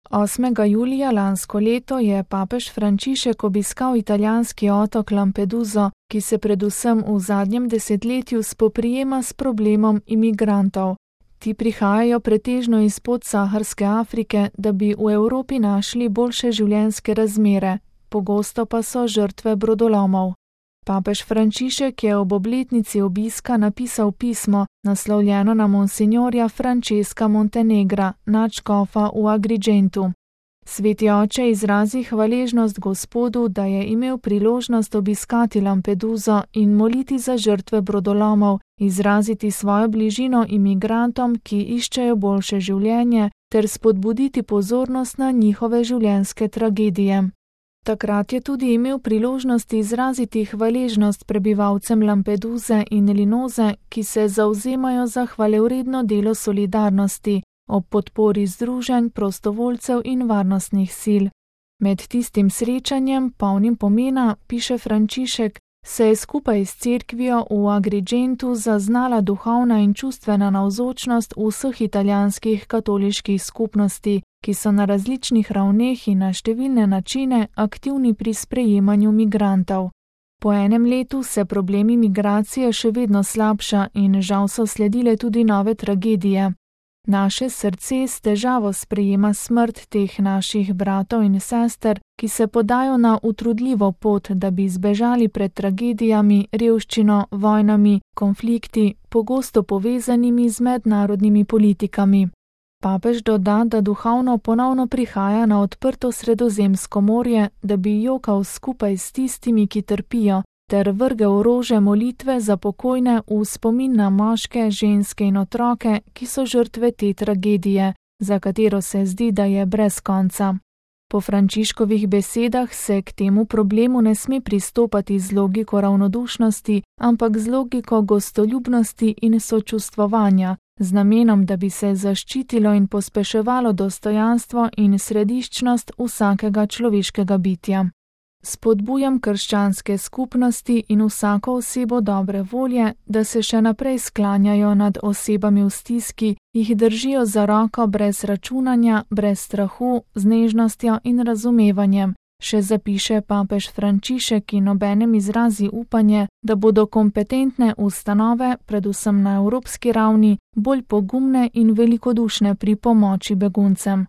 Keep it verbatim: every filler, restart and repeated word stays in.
osmega julija lansko leto je papež Frančišek obiskal italijanski otok Lampeduso, ki se predvsem v zadnjem desetletju spoprijema s problemom imigrantov. Ti prihajajo pretežno iz podsaharske Afrike, da bi v Evropi našli boljše življenjske razmere, pogosto pa so žrtve brodolomov. Papež Frančišek je ob obletnici obiska napisal pismo, naslovljeno na monsinjorja Francesca Montenegra, nadškofa v Agrigentu. Sveti oče izrazi hvaležnost Gospodu, da je imel priložnost obiskati Lampeduso in moliti za žrtve brodolomov, izraziti svojo bližino imigrantom, ki iščejo boljše življenje, ter spodbuditi pozornost na njihove življenjske tragedije. Takrat je tudi imel priložnost izraziti hvaležnost prebivalcem Lampeduse in Linoze, ki se zavzemajo za hvalevredno delo solidarnosti, ob podpori združenj, prostovoljcev in varnostnih sil. Med tistim srečanjem, polnim pomena, piše Frančišek, se je skupaj s cerkvijo v Agrigentu zaznala duhovna in čustvena navzočnost vseh italijanskih katoliških skupnosti, ki so na različnih ravneh in na številne načine aktivni pri sprejemanju migrantov. Po enem letu se problemi migracije še vedno slabša in žal so sledile tudi nove tragedije. Naše srce s težavo sprejema smrt teh naših bratov in sester, ki se podajo na utrudljivo pot, da bi zbežali pred tragedijami, revščino, vojnami, konflikti, pogosto povezanimi z mednarodnimi politikami. Papež doda, da duhovno ponovno prihaja na odprto Sredozemsko morje, da bi jokal skupaj s tistimi, ki trpijo, ter vrgel rože molitve za pokojne v spomin na moške, ženske in otroke, ki so žrtve te tragedije, za katero se zdi, da je brez konca. Po Frančiškovih besedah se k temu problemu ne sme pristopati z logiko ravnodušnosti, ampak z logiko gostoljubnosti in sočustvovanja, z namenom, da bi se zaščitilo in pospeševalo dostojanstvo in središčnost vsakega človeškega bitja. Spodbujam krščanske skupnosti in vsako osebo dobre volje, da se še naprej sklanjajo nad osebami v stiski, jih držijo za roko brez računanja, brez strahu, z nežnostjo in razumevanjem, še zapiše papež Frančišek in obenem izrazi upanje, da bodo kompetentne ustanove, predvsem na evropski ravni, bolj pogumne in velikodušne pri pomoči beguncem.